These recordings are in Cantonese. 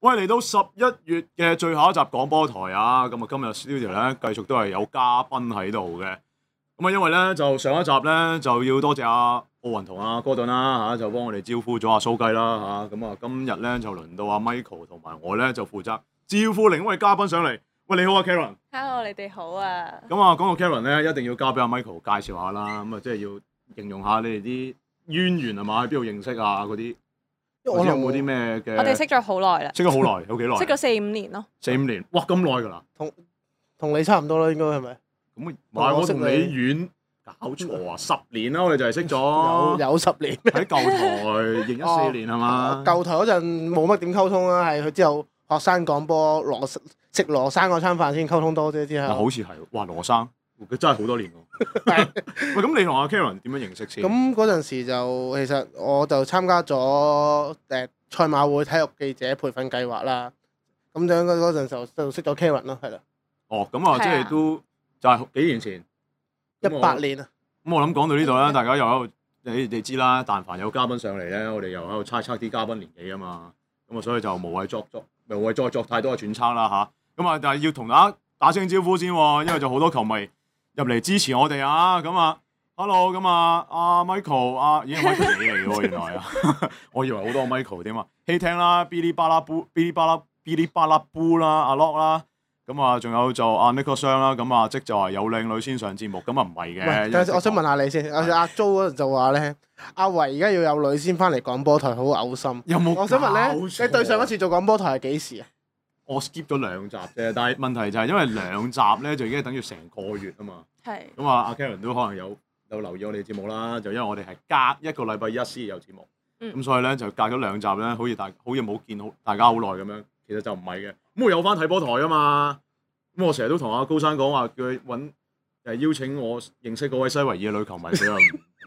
喂，嚟到11月嘅最後一集廣播台啊，咁啊今日 studio 咧繼續都係有嘉賓喺度嘅。咁啊，因為咧就上一集咧就要多謝阿奧雲同阿哥頓啦嚇，就幫我哋招呼咗阿蘇雞啦嚇。咁啊，今日咧就輪到阿 Michael 同埋我咧就負責招呼另一位嘉賓上嚟。喂，你好啊 Karen。Hello， 你哋好啊。咁啊，講到 Karen 咧，一定要交俾阿 Michael 介紹下啦。咁啊，即係要形容下你哋啲淵源係嘛？喺邊度認識啊？嗰啲。或者有冇啲咩嘅？我哋識咗好耐啦。識咗好耐，有幾耐？識咗4-5年咯。4-5年，哇咁耐㗎啦！同你差唔多啦，應該係咪？咁唔係我同你遠，搞錯啊！10年啦，我哋就係識咗有10年。喺舊台2014年係嘛？舊台嗰陣冇乜點溝通啦，係佢之後學生廣播食羅生嗰餐飯先溝通多啫，之後。好似係，哇羅生，佢真係好多年喎。喂，咁你同阿 Karen 點樣認識先？咁嗰陣時就其實我就參加咗賽馬會體育記者培訓計劃啦。咁樣嗰陣就識咗 Karen 咯，係啦。哦，咁啊，即係都就係幾年前18年啊。咁我諗講到呢度啦，大家又喺度，你哋知啦，但凡有嘉賓上嚟咧，我哋又喺度猜測啲嘉賓年紀啊嘛。咁啊，所以就無謂再作太多嘅揣測啦嚇。咁啊，但係要同大家打聲招呼先喎，因為就好多球迷入嚟支持我哋啊！咁啊 ，hello， 咁啊，阿 Michael， 咦 Michael 你嚟喎，原來啊，我以為好多 Michael 添啊，希聽啦，嗶哩吧啦布啦，阿 Lock 啦，咁啊，仲有就阿 Nicholas 啦，咁啊，即就話有靚女先上節目，咁啊唔係嘅。但係我想問下你先，阿 Jo 嗰陣就話咧，阿維而家要有女先翻嚟廣播台，好嘔心。有冇？我想問咧，你對上一次做廣播台係幾時啊？我 skip 咗2集啫，但係問題就係因為2集咧就已經等於成個月啊嘛。係。咁啊，阿 Karen 都可能有留意我哋節目啦，就因為我哋係隔一個禮拜一先有節目，咁所以咧就隔咗2集咧，好似冇見大家好耐咁樣，其實就唔係嘅。咁我有翻睇波台啊嘛，咁我成日都同阿高山講話叫佢揾邀請我認識嗰位西維爾嘅女球迷，佢又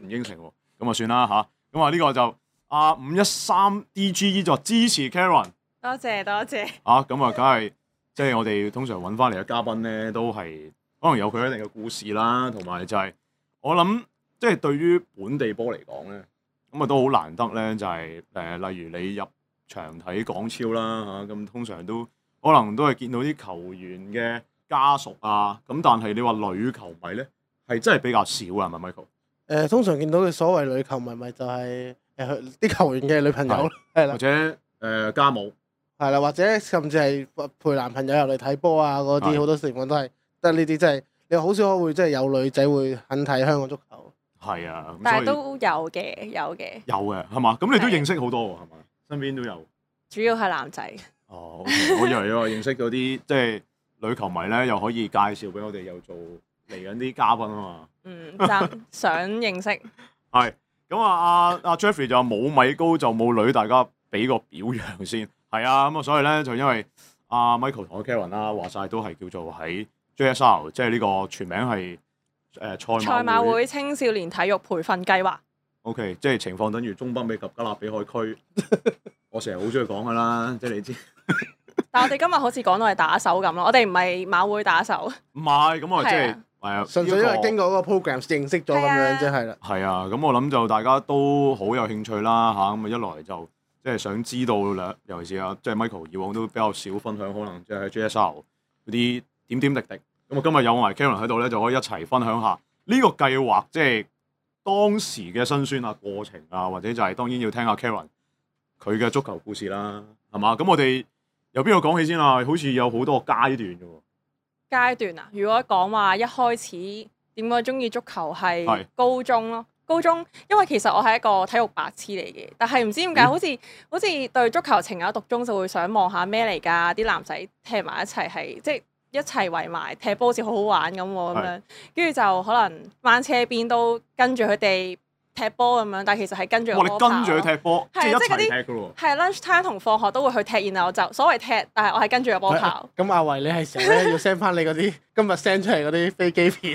唔應承喎，咁啊算啦嚇。咁啊呢個就阿513 DGE 就支持 Karen。多謝。咁啊，梗係即係我哋通常揾翻嚟嘅嘉賓咧，都係可能有佢一定嘅故事啦，同埋就係我諗，即係對於本地波嚟講咧，咁啊都好難得咧，就係例如你入場睇港超啦嚇，咁通常都可能都係見到啲球員嘅家屬啊，咁但係你話女球迷咧，係真係比較少啊，係咪 Michael？通常見到嘅所謂女球迷咪就係啲球員嘅女朋友，係啦，或者家母。係啦，或者甚至係陪男朋友入嚟睇波啊嗰啲，好多情況都係得呢啲，真係你好少會真係有女仔會肯睇香港足球。係啊，但係都有嘅。有嘅係嘛？咁你都認識好多喎，係嘛？身邊都有。主要係男仔。哦，okay，我以為認識到啲即係女球迷咧，又可以介紹俾我哋，又做嚟緊啲嘉賓啊嘛。想認識。係咁啊！阿 Jeffrey 就冇米高就冇女，大家俾個表揚先。係啊，咁啊，所以咧就因為阿 Michael 同阿 Karen 啦，話晒都係叫做喺 JSR， 即係呢個全名係賽馬會青少年體育培訓計劃。OK， 即係情況等於中北美及加勒比海區。我成日好中意講噶啦，即係你知。但我哋今日好似講到係打手咁咯，我哋唔係馬會打手。唔係，咁我即係純粹因為經過嗰個 program 認識咗咁樣啫，係啦。係啊，咁我諗就大家都好有興趣啦嚇，咁啊一來就。即係想知道啦，尤其是即係 Michael 以往都比較少分享，可能即係喺 JSR 嗰啲點點滴滴。咁啊，今日有埋 Karen 喺度咧，就可以一齊分享下呢個計劃，即係當時嘅辛酸啊、過程啊，或者就係當然要聽下 Karen 佢嘅足球故事啦，係嘛？咁我哋由邊度講起先啊？好似有好多個階段嘅喎。階段啊？如果講話一開始點解中意足球係高中咯。高中，因為其實我係一個體育白痴嚟嘅，但係唔知點解好似對足球情有獨鍾，就會想望下咩嚟㗎？啲男仔踢埋一齊係即係一齊圍埋踢波，好似好好玩咁喎咁樣，跟住就可能掹車邊都跟住佢哋踢波咁樣，但係其實係跟住我跑。你跟住佢踢波，即係一齊踢㗎喎。係 lunch time 同放學都會去踢，然後就所謂踢，但係我係跟住個波跑。咁阿維，你係成日要 send 翻你嗰啲今日 send 出嚟嗰啲飛機片，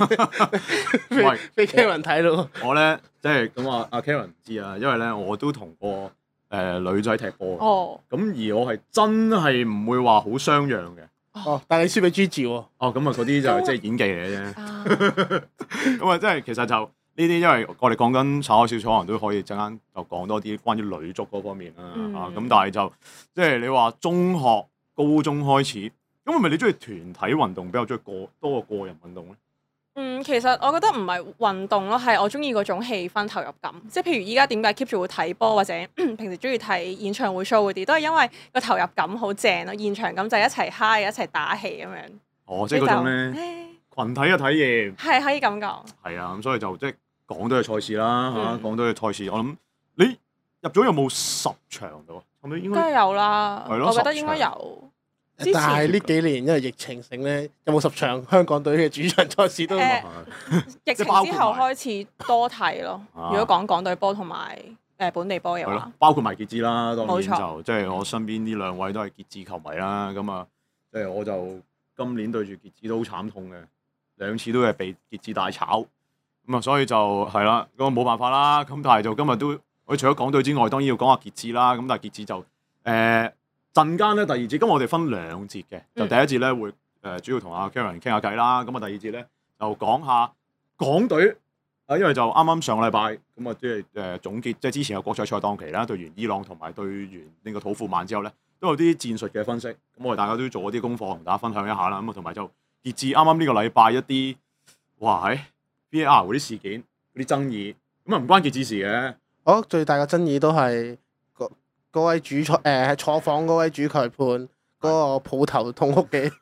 俾 Karen 睇咯。我咧即係咁話，阿 Karen 唔知啊，因為咧我都同過女仔踢波。哦。咁而我係真係唔會話好相讓嘅。哦，但係你輸俾 Gigi 喎。哦，咁啊嗰啲就即係演技嚟嘅啫。咁啊，即係其實就呢啲因為我哋講緊炒開少少，可能都可以陣間就講多啲關於女足嗰方面啦咁但係就即係你話中學、高中開始，咁係咪你中意團體運動比較中意多過個人運動咧？其實我覺得唔係運動咯，係我中意嗰種氣氛投入感。即係譬如依家點解 keep 住會睇波，或者平時中意睇演唱會 show 嗰啲，都係因為個投入感好正咯，現場感就係一齊嗨、一齊打氣咁樣。哦，即係嗰種咧群體嘅體驗。係可以咁講。係啊，咁所以就即係講到嘅賽事啦嚇，講到嘅賽事，我諗你入咗有冇10場到啊？係咪應該？梗係有啦，係咯，我覺得應該有。但係呢幾年因為疫情性咧，有冇10場香港隊嘅主場賽事都？疫情之後開始多睇咯。如果講港隊波同埋本地波嘅話，包括埋傑志啦，當然冇錯就即係我身邊呢兩位都係傑志球迷啦。咁啊，即係我就今年對住傑志都好慘痛嘅，2次都係被傑志大炒。咁啊，所以就係啦，咁冇辦法啦。咁但係就今日都，我除咗港隊之外，當然要講下傑志啦。咁但係傑志就陣間咧第二節，咁我哋分2節嘅，就第一節咧會主要同阿 Karen 傾下偈啦。咁啊第二節咧就講下港隊啊，因為就啱啱上個禮拜咁啊，即係總結，即係之前有國際賽檔期啦，對完伊朗同埋對完呢個土庫曼之後咧，都有啲戰術嘅分析。咁我哋大家都做咗啲功課，同大家分享一下啦。咁啊同埋就傑志啱啱呢個禮拜一啲哇喺 VAR 嗰啲事件嗰啲爭議，咁啊唔關傑志事嘅。我覺得最大嘅爭議都係嗰位主裁坐房嗰位主裁判嗰個抱頭痛哭嘅，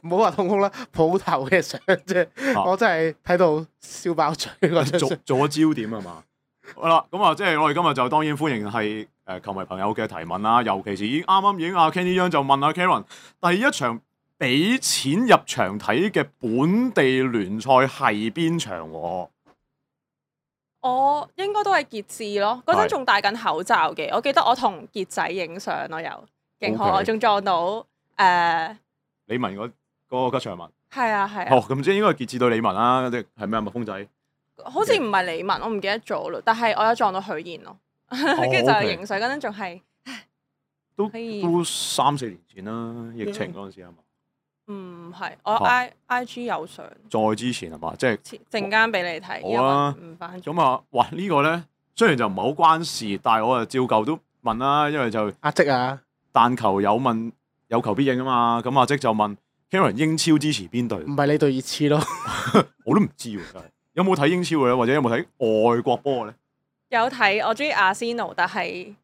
唔好話痛哭啦，抱頭嘅相啫，我真係睇到笑爆嘴嗰張相。做咗焦點係嘛？好啦，咁啊，即係我哋今日就當然歡迎係球迷朋友嘅提問啦，尤其是啱啱已經阿 Kenny Young 就問阿 Karen 第一場俾錢入場睇嘅本地聯賽係邊場喎？我應該都係傑志咯，嗰陣仲戴緊口罩嘅。我記得我同傑仔影相咯，又勁好，我仲撞到李文嗰個吉祥物。係啊。哦，咁即係應該係傑志對李文啦，定係咩啊？蜜蜂仔？好似唔係李文，我唔記得咗咯。但係我有撞到許燕咯，跟住就影相嗰陣仲係都3-4年前啦，疫情嗰陣時係嘛？唔係，我 IG 有相。再之前係嘛？即係陣間俾你睇。好啊。唔翻。咁啊，哇！呢個咧雖然就唔係好關事，但係我啊照舊都問啦，因為就阿積啊，但求有問有求必應啊嘛。咁阿積就問 Karen 英超支持邊隊？唔係你對熱刺咯？我都唔知喎，真係有冇睇英超嘅咧，或者有冇睇外國波嘅咧？有睇，我中意阿仙奴，但係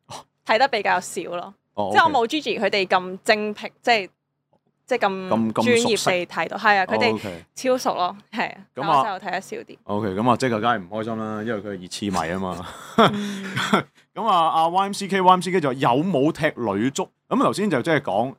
睇得比較少咯。即係我冇 Gigi 佢哋咁精闢，即係咁專業地睇到，係啊，佢哋超熟咯，係啊，咁我就睇得少啲。OK，咁啊，即係梗係唔開心啦，因為佢係熱刺迷啊嘛。咁啊，阿 YMCK 就有冇踢女足？咁頭先就即係講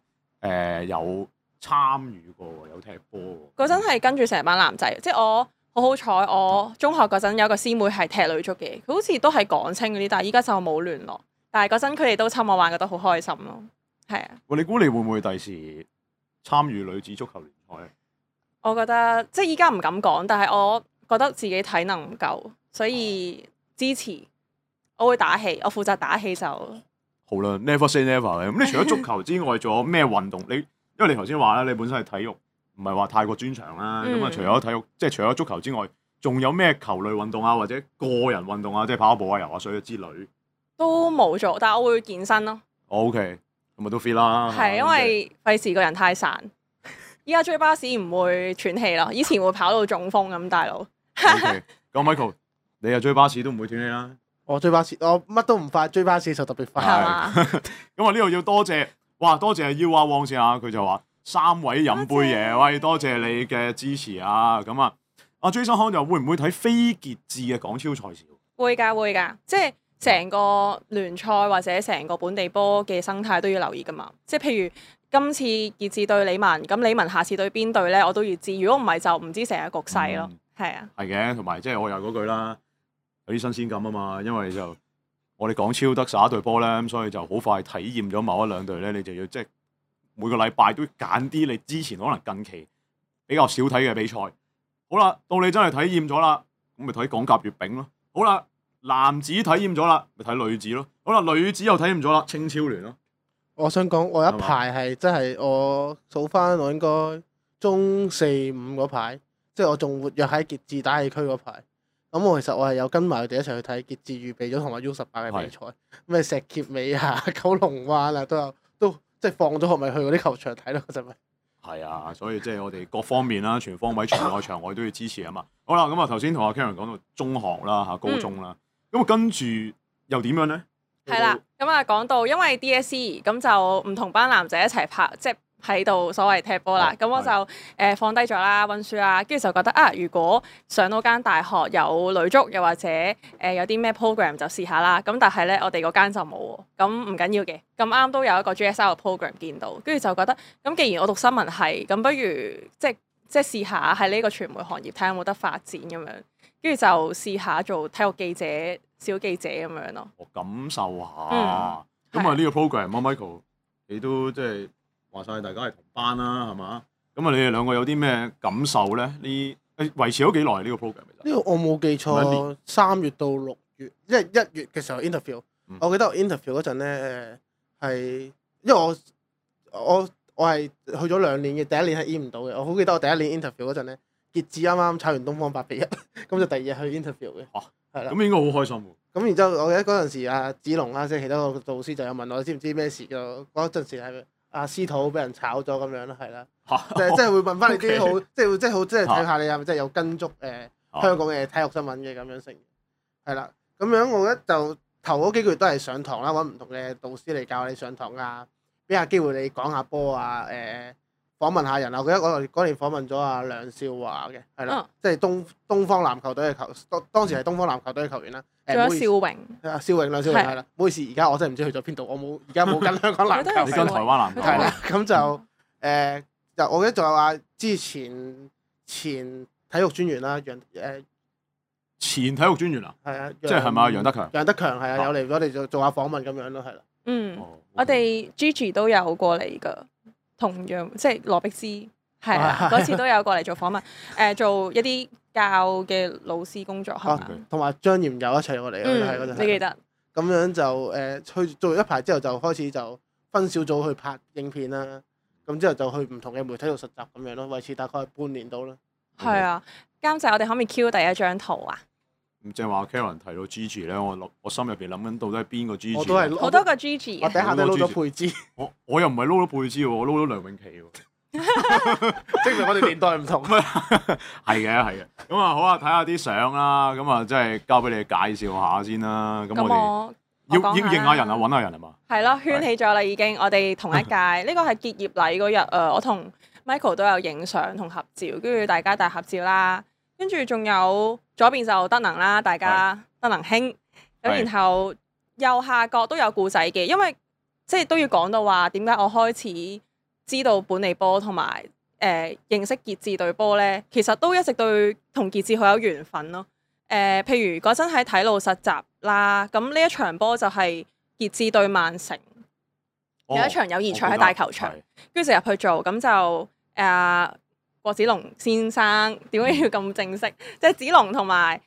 有參與過，有踢波。嗰陣係跟住成班男仔，即係我好彩，我中學嗰陣有個師妹係踢女足嘅，佢好似都係港青嗰啲，但係依家就冇聯絡。但係嗰陣佢哋都侵我玩，覺得好開心咯，係啊。喂，你估你會唔會第時參與女子足球聯賽咧？我覺得即係依家唔敢講，但係我覺得自己體能唔夠，所以支持。我會打氣，我負責打氣就好啦。Never say never 咧。咁你除咗足球之外，仲有咩運動？因為你頭先話咧，你本身係體育，唔係話太過專長啦。咁啊，除咗體育，即係除咗足球之外，仲有咩球類運動啊，或者個人運動啊，即係跑步啊、游下水之類？都冇做，但係我會健身咯。OK，咁咪都 fit 啦。係因為費事個人太散。依家追巴士唔會喘氣咯，以前會跑到中風咁，大佬。OK，咁 Michael，你又追巴士都唔會斷氣啦。我追巴士，我乜都唔快，追巴士就特別快。係嘛？咁啊，呢度要多謝，哇！多謝阿 U 阿汪先啊，佢就話3位飲杯嘢，喂，多謝你嘅支持啊！咁啊，阿 Jason 康就會唔會睇非傑志嘅港超賽事？會㗎，即係成個聯賽或者成個本地波嘅生態都要留意㗎嘛。即係譬如今次傑志對李文，咁李文下次對邊隊咧，我都要知。如果唔係就唔知成個局勢咯。係啊。係嘅，同埋即係我又嗰句啦。有啲新鮮感啊嘛，因為就我哋港超得11隊波咧，咁所以就好快體驗咗某一兩隊咧，你就要即係每個禮拜都揀啲你之前可能近期比較少睇嘅比賽。好啦，到你真係體驗咗啦，咁咪睇港甲乙丙咯。好啦，男子體驗咗啦，咪睇女子咯。好啦，女子又體驗咗啦，青超聯咯。我想講，我一排係真係我數翻，我應該中4、5嗰排，即係我仲活躍喺傑志打氣區嗰排。咁我其實我係有跟埋佢哋一齊去睇傑志預備咗同埋 U18嘅比賽，咩石硤尾啊、九龍灣啊都即係放咗學咪去嗰啲球場睇咯，嗰陣咪。係啊，所以即係我哋各方面啦，全方位場內場外都要支持啊嘛。好啦，咁啊頭先同阿 Karen 講到中學啦嚇，高中啦，咁跟住又點樣咧？係啦，咁啊講到因為 DSE 咁就唔同班男仔一齊拍，即係喺度所謂踢波啦。咁我就放低咗啦，温書啦，跟住就覺得啊，如果上到間大學有女足，又或者有啲咩 program 就試下啦。咁但係咧，我哋嗰間就冇喎，咁唔緊要嘅。咁啱都有一個 GSL 嘅 program 見到，跟住就覺得咁，既然我讀新聞系，咁不如即係試下喺呢個傳媒行業睇下有冇得發展咁樣，跟住就試下做體育記者、小記者咁樣咯。我感受下，咁啊呢個 program Michael 你都即係話晒大家係同班啦，係嘛？咁啊你哋兩個有啲咩感受咧？呢維持咗幾耐呢個 program？呢個我冇記錯，3月到6月，即係1月嘅時候 interview。我記得我 interview 嗰陣咧係，因為我係去咗2年嘅，第一年係 in 唔到嘅。我好記得我第一年 interview 嗰陣咧，傑志啱啱炒完東方8-1，咁就第2日去 interview 嘅。係啦。咁應該好開心喎。咁然之後，我記得嗰陣時阿子龍啦，即係其他個導師就有問我知唔知咩事嘅。嗰陣時係阿司徒俾人炒咗咁樣啦，係啦。即係會問翻你啲好，即係睇下你係咪真係有跟足香港嘅體育新聞嘅咁樣成。係啦，咁樣我覺得就頭嗰幾個月都係上堂啦，揾唔同嘅導師嚟教你上堂啊，俾下機會你講下波啊，訪問下人啊。我記得嗰年訪問咗阿梁少華嘅，係啦，即係東方籃球隊嘅當時係東方籃球隊嘅球員啦。仲有邵榮，梁少榮係啦。唔好意思，而家我真係唔知去咗邊度，我而家冇跟香港籃球。你跟台灣籃球。係啦，咁就我記得仲有話之前體育專員啦，前體育專員啊，係啊，即係咪啊？楊德強。楊德強係啊，有嚟我哋做下訪問咁樣咯，係啦。我哋 Gigi 都有過嚟㗎，同樣即係羅碧芝係啊，嗰次都有過嚟做訪問，做一啲教嘅老師工作係嘛，同埋張炎友一齊過嚟嘅，係嗰陣。你記得？咁樣就去做一排之後，就開始就分小組去拍影片啦。咁之後就去唔同嘅媒體度實習咁樣咯，維持大概半年到啦。係啊，監製，我哋可唔可以 Q 第一張圖啊？咁即係話 Karen 提到 Gigi 咧，我心入邊諗緊到底係邊個 Gigi？ 我都係好多個 Gigi。我底下都撈咗佩芝。我又唔係撈咗佩芝喎，我撈咗梁詠琪喎。證明我哋年代唔同。係嘅。咁啊好啊，睇下啲相啦。咁啊，即係交俾你介紹下先啦。咁我哋要認下人啊，揾下人係嘛？係咯，圈起咗啦已經。我哋同一屆，呢個係結業禮嗰日，我同 Michael 都有影相同合照，跟住大家大合照啦。跟住仲有左邊就德能啦，大家德能兄。咁然後右下角都有故仔嘅，因為即係都要講到話點解我開始知道本地波同埋認識傑志隊波咧，其實都一直對同傑志好有緣分咯。譬如嗰陣喺體路實習啦，咁呢一場波就係傑志對曼城，有一場友誼賽喺大球場，跟住就入去做，咁就郭子龍先生點解要咁正式？即係子龍同埋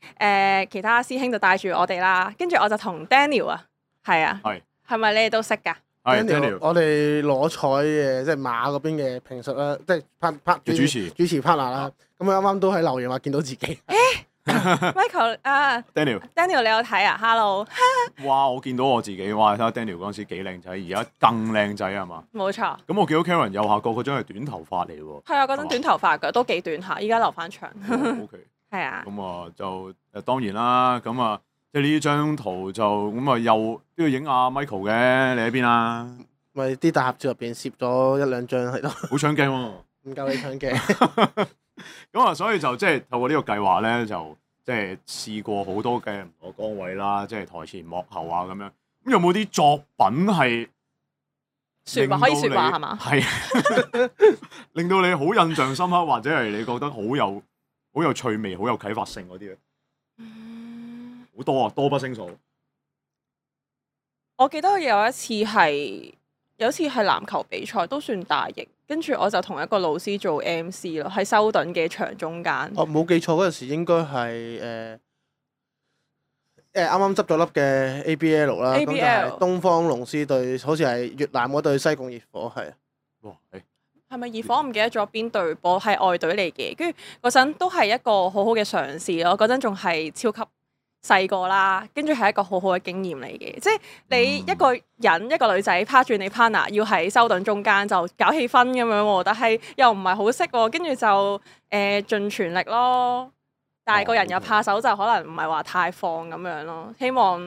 其他師兄就帶住我哋啦，跟住我就同 Daniel 啊，係啊，係咪你哋都識㗎？Daniel，我哋攞彩嘅，即係馬嗰邊嘅評述啦，即係主持 partner 啦。咁啱啱都喺留言話見到自己。Michael 啊 ，Daniel 你有睇啊 ？Hello，哇！我見到我自己，哇！睇下 Daniel 嗰陣時幾靚仔，而家更靚仔係嘛？冇錯。咁我見到 Karen 右下角嗰張係短頭髮嚟喎。係啊，嗰陣短頭髮㗎，都幾短下，依家留翻長。OK。係啊。咁啊就當然啦，咁啊即係呢張圖就咁啊又都要影阿 Michael 嘅，你喺邊啊？咪啲大合照入邊攝咗1-2張喺度。好搶鏡喎！唔夠你搶鏡。咁啊，所以就即係透過呢個計劃咧，就即係試過好多嘅唔同崗位啦，即係台前幕後啊咁樣。咁有冇啲作品係説話可以説話係嘛？係令到你好印象深刻，或者係你覺得好有趣味、好有啟發性嗰啲咧？好多啊，多不勝數。我記得有一次係籃球比賽，都算大型。跟住我就同一個老師做 MC 咯，喺修頓嘅場中間。冇記錯嗰陣時應該係啱啱執咗粒嘅 ABL 啦，咁就係東方龍獅對好似係越南嗰隊西貢熱火係。哇！係咪熱火？我唔記得咗邊隊波係外隊嚟嘅，跟住嗰陣都係一個好好嘅嘗試咯。嗰陣仲係超級細個啦，跟住係一個好好嘅經驗嚟嘅。即係你一個人一個女仔趴住你 partner，要喺修頓中間就搞氣氛咁樣喎，但係又唔係好識喎，跟住就盡全力咯。但係個人又怕手，就可能唔係話太放咁樣咯。希望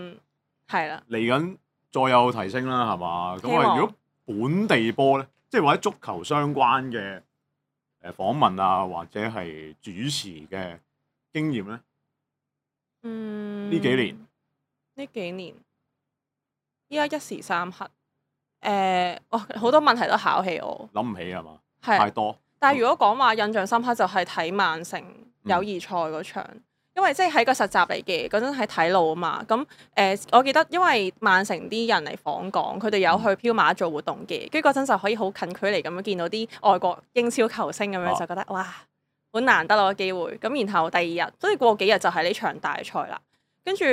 係啦。嚟緊再有提升啦，係嘛？咁啊，如果本地波咧，即係或者足球相關嘅訪問啊，或者係主持嘅經驗咧，呢幾年，依家一時三刻，好多問題都考起我，諗唔起係嘛？係太多。但係如果講話印象深刻，就係睇曼城友誼賽嗰場。因為即係喺個實習嚟嘅，嗰陣喺睇路啊嘛，咁我記得因為曼城啲人嚟訪港，佢哋有去飄馬做活動嘅，跟住嗰陣就可以好近距離咁樣見到啲外國英超球星咁樣，就覺得哇，好難得咯個機會。咁然後第二日，所以過幾日就係呢場大賽啦，跟住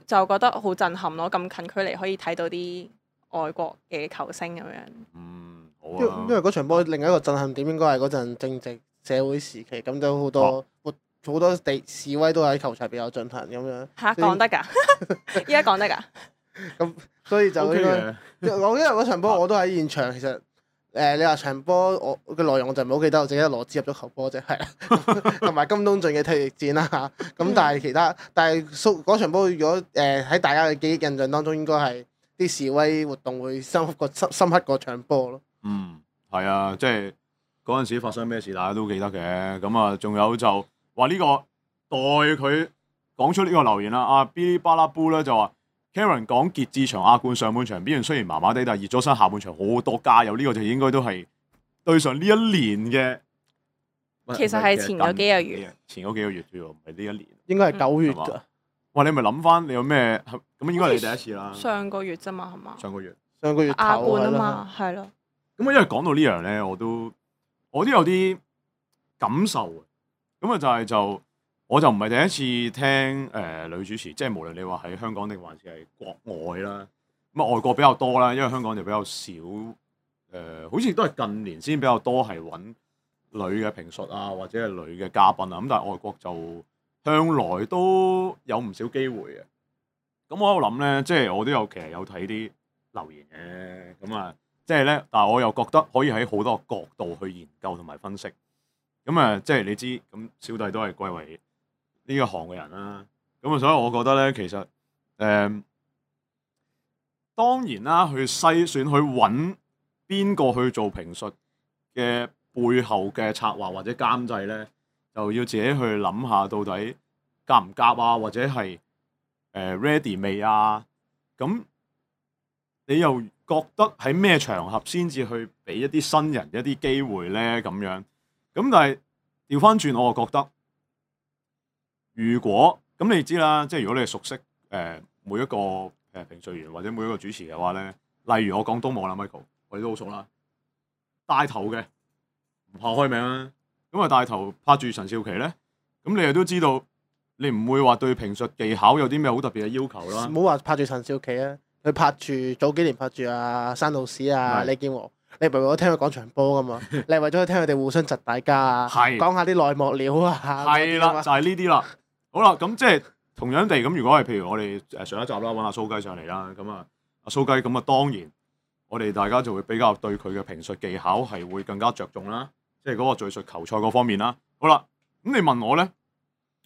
就覺得好震撼咯，咁近距離可以睇到啲外國嘅球星咁樣。好啊。因為嗰場波另一個震撼點應該係嗰陣正值社會時期，咁都好多好多示威都喺球場入邊有進行咁樣。嚇講得㗎？依家講得㗎？咁所以就應該我因為嗰場波我都喺現場，其實你話場波我嘅內容我就唔係好記得，我淨係記得羅茲入咗球波啫，係啦，同埋金東俊嘅退役戰啦嚇。咁但係嗰場波如果喺大家嘅記憶印象當中，應該係啲示威活動會深刻過場波咯。係啊，即係嗰陣時發生咩事，大家都記得嘅。咁啊，仲有就話呢個代佢講出呢個留言啦。阿 Billy 巴拉布咧就話 Karen 講傑志場亞冠上半場表現雖然麻麻地，但係熱咗身下半場好多加油。呢個就應該都係對上呢一年嘅。其實係前嗰幾個月。前嗰幾個月啫喎，唔係呢一年。應該係9月㗎。哇！你咪諗翻你有咩咁應該係你第一次啦。上個月啫嘛，係嘛？上個月亞冠啊嘛，係咯。咁因為講到呢樣咧，我都有啲感受嘅。咁啊我就唔係第一次聽女主持，即係無論你話喺香港定還是係國外啦。咁啊外國比較多啦，因為香港就比較少。好似都係近年先比較多係揾女嘅評述啊，或者係女嘅嘉賓啊。咁但係外國就向來都有唔少機會嘅。咁我喺度諗咧，即係我都其實有睇啲留言嘅。咁啊，即係咧，但係我又覺得可以喺好多個角度去研究同埋分析。咁啊，即係你知，咁小弟都係歸為呢個行嘅人啦。咁啊，所以我覺得咧，其實當然啦，去篩選去揾邊個去做評述嘅背後嘅策劃或者監製咧，就要自己去諗下到底夾唔夾啊，或者係ready 未啊？咁你又覺得喺咩場合先至去俾一啲新人一啲機會咧？咁樣咁，但係調翻轉，我就覺得如果咁你知啦，即係如果你係熟悉每一個評述員或者每一個主持嘅話咧，例如我講東網啦 Michael， 我哋都好熟啦，帶頭嘅唔怕開名啦，咁啊帶頭拍住陳少琪咧，咁你又都知道，你唔會話對評述技巧有啲咩好特別嘅要求啦。唔好話拍住陳少琪啊，佢拍住早幾年拍住阿山道士啊、李健和，你唔係為咗聽佢講場波噶嘛？你係為咗聽佢哋互相窒大家啊，講下啲內幕料啊。係啦，就係呢啲啦。好啦，咁即係同樣地咁，如果係譬如我哋上一集啦，揾阿蘇雞上嚟啦，咁啊阿蘇雞咁啊，當然我哋大家就會比較對佢嘅評述技巧係會更加着重啦，即係嗰個敘述球賽嗰方面啦。好啦，咁你問我咧，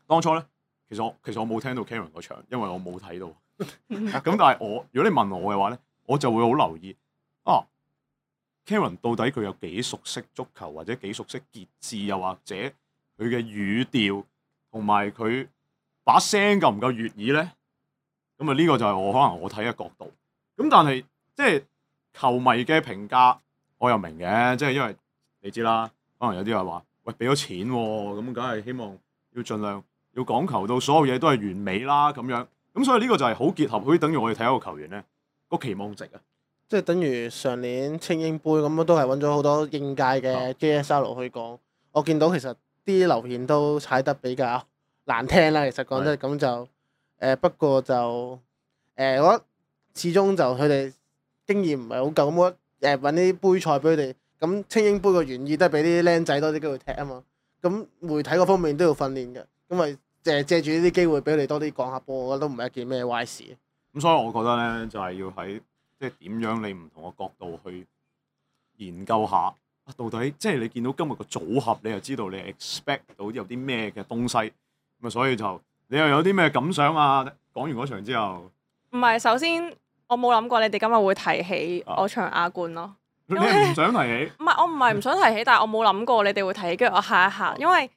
當初咧，其實我冇聽到 Karen 嗰場，因為我冇睇到。咁但係如果你問我嘅話咧，我就會好留意Karen 到底佢有幾熟悉足球，或者幾熟悉傑志，又或者佢嘅語調同埋佢把聲夠唔夠悅耳咧？咁啊呢個就係可能我睇嘅角度。咁但係即係球迷嘅評價，我又明嘅，即係因為你知啦，可能有啲人話喂俾咗錢喎，咁梗係希望要盡量要講求到所有嘢都係完美啦咁樣。咁所以呢個就係好結合，好似等於我哋睇一個球員咧個期望值啊。即係等於上年青英杯咁都係揾咗好多應屆嘅 JSL 去講。我見到其實啲留言都踩得比較難聽啦。其實講真咁就不過就我覺得始終就佢哋經驗唔係好夠，咁我揾啲杯賽俾佢哋咁精英杯個原意都係俾啲僆仔多啲機會踢啊嘛。咁媒體嗰方面都要訓練嘅，咁咪借住呢啲機會俾佢哋多啲講下波，我覺得都唔係一件咩壞事。咁所以我覺得咧，就係要喺即係點樣你唔同嘅角度去研究下，到底即係你見到今日個組合，你就知道你 expect 到有啲咩嘅東西。咁啊，所以就你又有啲咩感想啊？講完嗰場之後，唔係，首先我冇諗過你哋今日會提起我場亞冠咯。你係唔想提起？唔係，我唔係唔想提起，但係我冇諗過你哋會提起，跟住我嚇一嚇，因為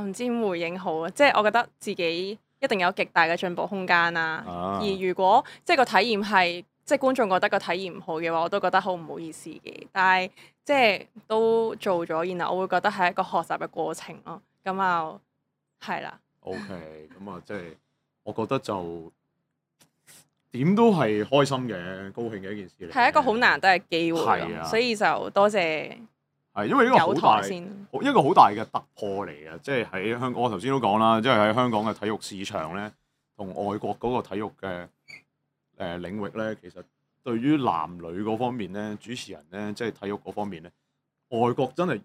唔知點回應好啊！即係我覺得自己一定有極大嘅進步空間啦。而如果即係個體驗係即係觀眾覺得個體驗唔好嘅話，我都覺得好唔好意思嘅。但係即係都做咗，然後我會覺得係一個學習嘅過程咯。咁啊，係啦。OK，咁啊，即係我覺得就點都係開心嘅、高興嘅一件事嚟。係一個好難得嘅機會咯，所以就多謝。係因為呢個好大一個好大嘅突破嚟嘅，即係喺香港。我頭先都講啦，即係喺香港嘅體育市場咧，同外國嗰個體育嘅領域咧，其實對於男女嗰方面咧，主持人咧，即係體育嗰方面咧，外國真係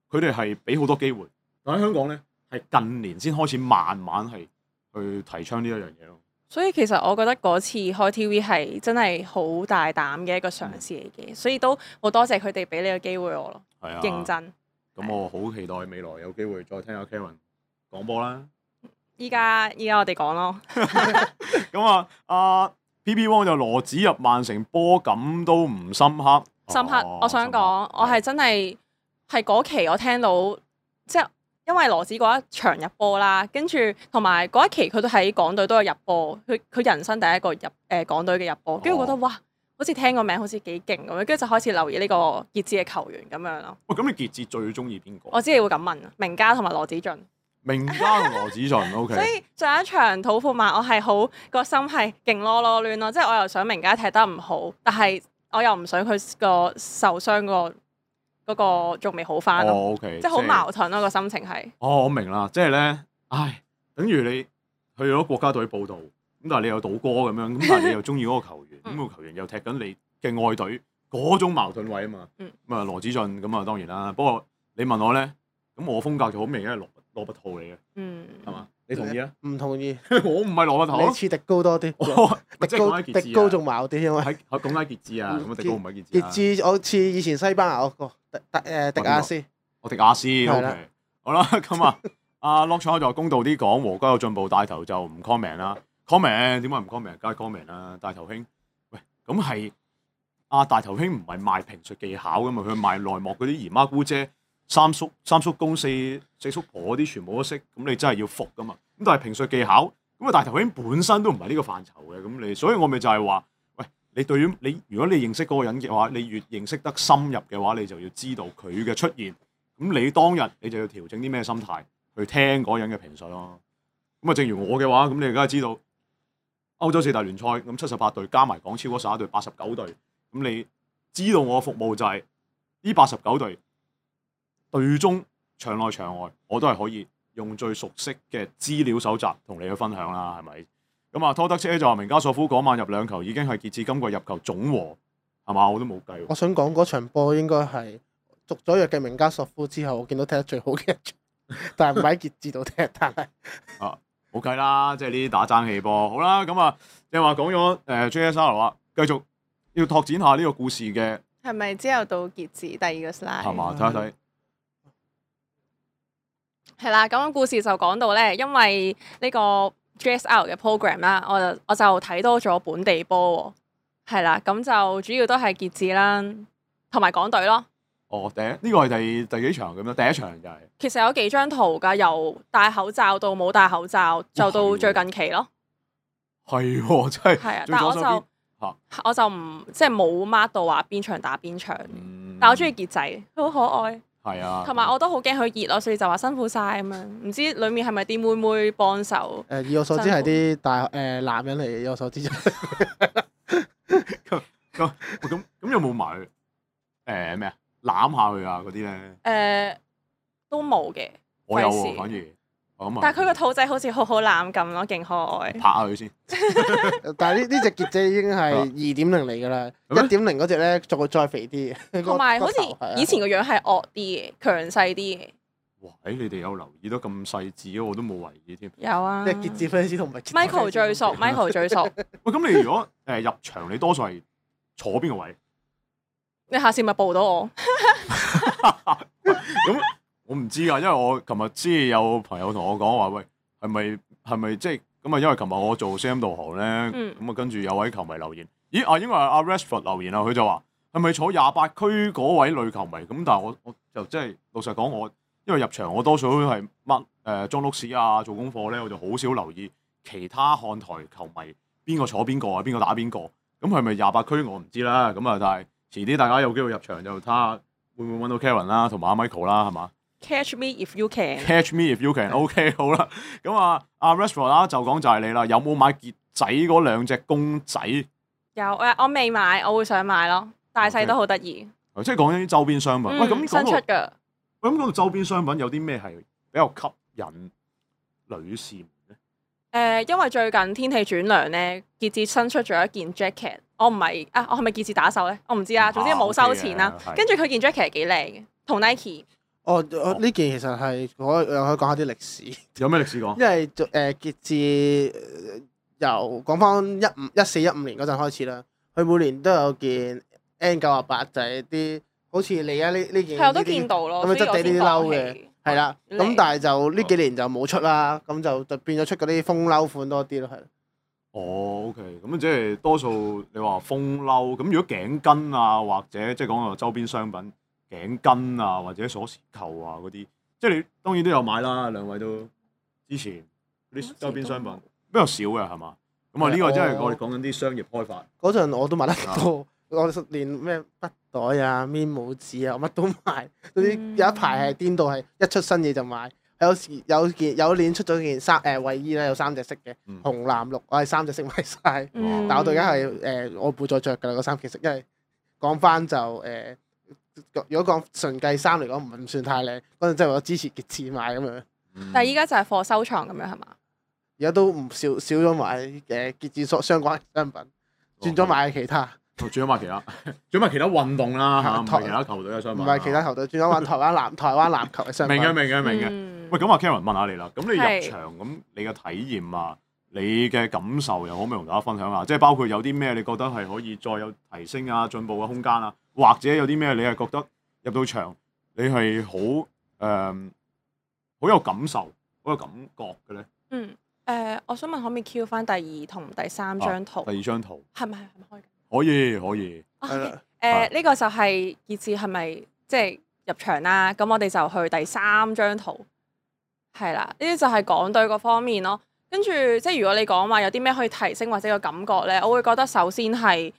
佢哋係俾好多機會，但喺香港咧係近年先開始慢慢係去提倡呢一樣嘢咯。所以其實我覺得嗰次開 TV 係真係好大膽嘅一個嘗試嚟嘅，所以都好多謝佢哋俾呢個機會我咯。係啊，認真。咁我好期待未來有機會再聽下 Karen 講波啦。依家我哋講咯。咁啊，阿 PP Wong 就羅子入曼城波感都唔深刻。深刻，我想講，我係真係嗰期我聽到即係。因為羅子嗰一場入波啦，跟住同埋嗰一期佢都喺港隊都有入波，佢人生第一個入港隊嘅入波，跟住覺得哇，好似聽個名好似幾勁咁樣，跟住就開始留意呢個傑志嘅球員咁樣咯。喂，咁你傑志最中意邊個？我知你會咁問，明嘉同埋羅子俊。明嘉同羅子俊 ，OK。所以上一場土庫曼，我係好個心係勁囉囉攣咯，即係我又想明嘉踢得唔好，但係我又唔想佢個受傷嗰個仲未好翻咯，即係好矛盾咯個心情係。我明啦，即係咧，等於你去咗國家隊報道，咁但係你又賭歌咁樣，咁但係你又中意嗰個球員，咁個球員又踢緊你嘅愛隊，嗰種矛盾位啊嘛。咁啊羅子俊咁啊當然啦，不過你問我咧，咁我風格就好明顯係羅拔圖嚟嘅，係嘛？你同意啊？唔同意，我唔係羅拔圖，你似迪高多啲，迪高仲矛啲，因為喺講緊傑志啊，咁啊迪高唔係傑志。傑志我似以前西班牙嗰個迪亞斯，迪亞斯 OK。好啦，咁啊，阿 Lock 就公道啲講，和哥有進步，帶頭就唔 comment 啦。comment 點解唔 comment？梗係 comment 啦，帶頭兄。喂，咁係大頭兄唔係賣評述技巧噶嘛？佢賣內幕嗰啲姨媽姑姐、三叔公、四叔婆嗰啲，全部都識。咁你真係要服噶嘛？咁但係評述技巧，咁啊大頭兄本身都唔係呢個範疇嘅。咁你，所以我咪就係話，喂，你對於你，如果你認識嗰個人嘅話，你越認識得深入嘅話，你就要知道佢嘅出現。咁你當日你就要調整啲咩心態去聽嗰人嘅評述咯。咁啊，正如我嘅話，咁你梗係知道歐洲四大聯賽咁78隊加埋港超嗰11隊89隊，咁你知道我嘅服務就係呢89隊隊中場內場外，我都係可以用最熟悉嘅資料搜集同你去分享啦，係咪？咁啊，拖德車就話明加索夫嗰晚入2球已經係傑志今季入球總和，係嘛？我都冇計。我想講嗰場波應該係續咗約嘅明加索夫之後，我見到踢得最好嘅一場，但係唔喺傑志度踢，但係冇計啦，即係呢啲打爭氣波。好啦，咁啊，你話講咗JSL 啊，繼續要拓展下呢個故事嘅。係咪之後到傑志第二個 slide？ 係嘛，睇下睇。係啦，咁故事就講到咧，因為呢個 JSL 嘅 program 啦，我就睇多咗本地波喎。係啦，咁就主要都係傑志啦，同埋港隊咯。呢個係第幾場咁樣？第一場就係。其實有幾張圖㗎，由戴口罩到冇戴口罩，就到最近期咯。係喎，真係。係啊，但係我就唔即係冇 mark 到話邊場打邊場。但我中意傑仔，佢好可愛。係啊。同埋我都好驚佢熱咯，所以就話辛苦晒咁樣。唔知裡面係咪啲妹妹幫手？以我所知係啲男人嚟嘅，以我所知就。咁有冇埋咩啊？攬下佢啊嗰啲咧？都冇嘅。我有喎，反而但係佢個肚仔好似好攬咁咯，勁可愛。拍下佢先。但係呢隻傑仔已經係2.0嚟㗎啦，1.0嗰隻咧再肥啲嘅。同埋好似以前個樣係惡啲嘅，強勢啲嘅。哇！你哋有留意得咁細緻，我都冇懷疑添。有啊。即係傑志 fans 同埋 Michael 最熟，Michael 最熟。喂，咁你如果入場，你多數係坐邊個位？你下次咪報到我。咁我唔知啊，因為我琴日知有朋友同我講話，喂，係咪即係咁啊？因為琴日我做 CM 導航咧，咁啊跟住有位球迷留言，咦啊，應該係阿 Rashford 留言啊，佢就話係咪坐28區嗰位女球迷？咁但係我就即係老實講，我因為入場我多數都係裝碌屎啊，做功課咧，我就好少留意其他看台球迷邊個坐邊個啊，邊個打邊個。咁係咪28區我唔知啦。咁啊，但係遲啲大家有機會入場就睇下會唔會揾到 Karen 啦，同埋阿 Michael 啦，係嘛？ Catch me if you can。 Catch me if you can。OK， 好啦。咁啊，阿 Rashford 啦就講就係你啦，有冇買傑仔嗰2隻公仔？有我未買，我會想買咯，大細都好得意。即係講緊啲周邊商品。喂，咁新出㗎。喂，咁講到周邊商品有啲咩係比較吸引女士咧？因為最近天氣轉涼咧，傑志新出咗一件 jacket。我唔係啊，我係咪傑志打手咧？我唔知啊。總之冇收錢啦。跟住佢件 jacket 幾靚嘅，同 Nike。呢件其實係我又可以講下啲歷史。有咩歷史講？因為傑志由講翻14-15年嗰陣開始啦，佢每年都有件 N98，就係啲好似你呢件。係我都見到咯。咁樣質地呢啲褸嘅，係啦。咁但係就呢幾年就冇出啦，咁就變咗出嗰啲風褸款多啲咯，係。哦 ，OK，咁即係多數你話風褸，咁如果頸巾啊，或者即係講到周邊商品。頸巾啊，或者鎖匙扣啊嗰啲，即係你當然都有買啦，兩位都之前啲周邊商品比較少嘅係嘛？咁啊呢個真係我哋講緊啲商業開發。嗰陣我都買得多，我連咩筆袋啊、面帽紙啊，我乜都買。嗰啲有一排係顛到係一出新嘢就買。有年出咗件衞衣咧，有3隻色嘅，紅藍綠，我係3隻色買晒。但係我到而家係我冇再着㗎啦，嗰3件色，因為講翻就如果講純計衫嚟講，唔算太靚。嗰陣真係我支持傑志買咁樣。但係依家就係貨收藏咁樣係嘛？而家都唔少咗買傑志相關商品，轉咗買其他。轉咗買其他運動啦嚇，唔係其他球隊嘅商品。唔係其他球隊，轉咗玩台灣籃球嘅商品。明嘅。喂，咁阿 Karen 問下你啦，咁你入場咁你嘅體驗啊，你嘅感受又可唔可以同大家分享下？即係包括有啲咩你覺得係可以再有提升啊、進步嘅空間啊？或者有啲咩你係覺得入到場你係好有感受、好有感覺嘅咧？我想問可唔可以 Q 翻第2同第3張圖？第2張圖係咪開嘅？可以。呢個就係傑志係咪即係入場啦？咁我哋就去第3張圖，係啦。呢啲就係港隊嗰方面咯。跟住即係如果你講話有啲咩可以提升或者個感覺咧，我會覺得首先係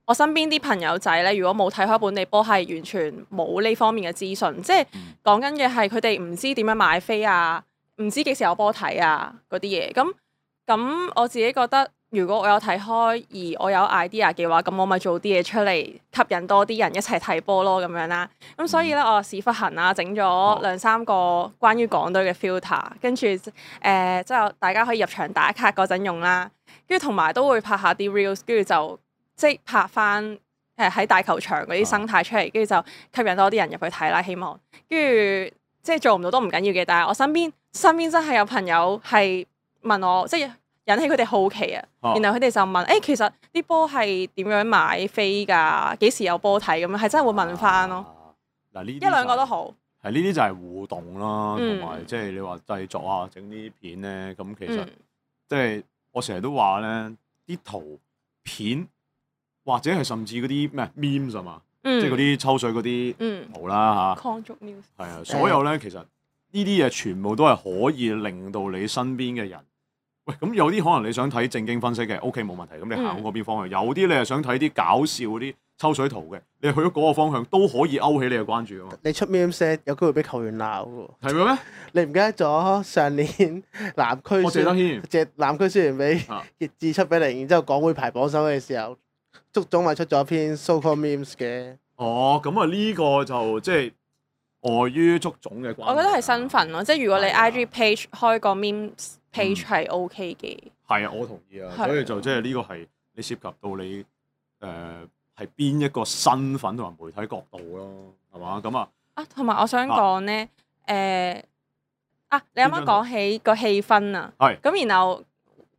我身邊啲朋友仔咧，如果冇睇開本地波，係完全冇呢方面嘅資訊，即係講緊嘅係佢哋唔知點樣買飛啊，唔知幾時有波睇啊嗰啲嘢。咁我自己覺得，如果我有睇開而我有 idea 嘅話，咁我咪做啲嘢出嚟，吸引多啲人一齊睇波咯咁樣啦。咁所以咧，我屎忽痕啦，整咗2-3個關於港隊嘅 filter，跟住即係大家可以入場打卡嗰陣用啦。跟住同埋都會拍下啲 reels，跟住就即係拍翻喺大球場嗰啲生態出嚟，跟住就吸引多啲人入去睇啦。希望跟住即係做唔到都唔緊要嘅，但係我身邊真係有朋友係問我，即係引起佢哋好奇啊。然後佢哋就問其實啲波係點樣買飛㗎？幾時有波睇咁樣？係真係會問翻咯。嗱呢1-2個都好。係呢啲就係互動啦，同埋即係你話製作啊、整啲片咧，咁其實即係我成日都話咧，啲圖片。或者係甚至嗰啲咩 memes 啊嘛，即係嗰啲抽水嗰啲圖啦嚇，係啊，所有咧其實呢啲嘢全部都係可以令到你身邊嘅人，喂咁有啲可能你想睇正經分析嘅 ，OK 冇問題，咁你行嗰邊方向；有啲你係想睇啲搞笑嗰啲抽水圖嘅，你去咗嗰個方向都可以勾起你嘅關注啊嘛。你出 meme 有機會俾球員鬧喎。係咪咩？你唔記得咗上年南區謝德軒南區輸完俾傑志7-0，然之後港會排榜首嘅時候。足總咪出咗篇 so-called memes 嘅。哦，咁啊呢個就即係礙於足總嘅關係。我覺得係身份咯，即係如果你 IG page 開個 meme page 係 OK 嘅。係啊，我同意啊，所以就即係呢個係你涉及到你係邊一個身份同埋媒體角度咯，係嘛？咁啊，同埋我想講咧，你啱啱講起個氣氛啊，咁然後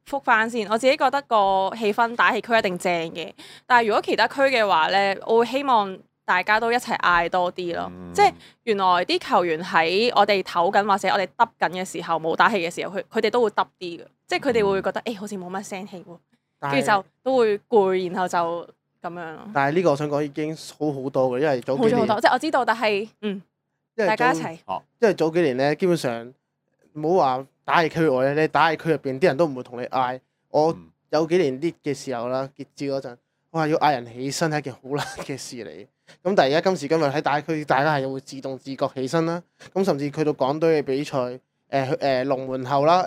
覆返先，我自己覺得個氣氛打氣區一定正嘅，但係如果其他區嘅話咧，我會希望大家都一齊嗌多啲咯，即係原來啲球員喺我哋唞緊或者我哋揼緊嘅時候冇打氣嘅時候，佢哋都會揼啲嘅，即係佢哋會覺得好似冇乜聲氣喎，跟住就都會攰，然後就咁樣咯。但係呢個我想講已經好好多嘅，因為早幾年好多，即係我知道，但係大家一齊，因為早幾年咧，基本上唔好話打氣區外咧，你打氣區入邊啲人都唔會同你嗌。我有幾年 lead 嘅時候啦，傑志嗰陣，哇要嗌人起身係一件好難嘅事嚟。咁但係而家今時今日喺打氣區，大家係會自動自覺起身啦。咁甚至去到港隊嘅比賽，龍門後啦，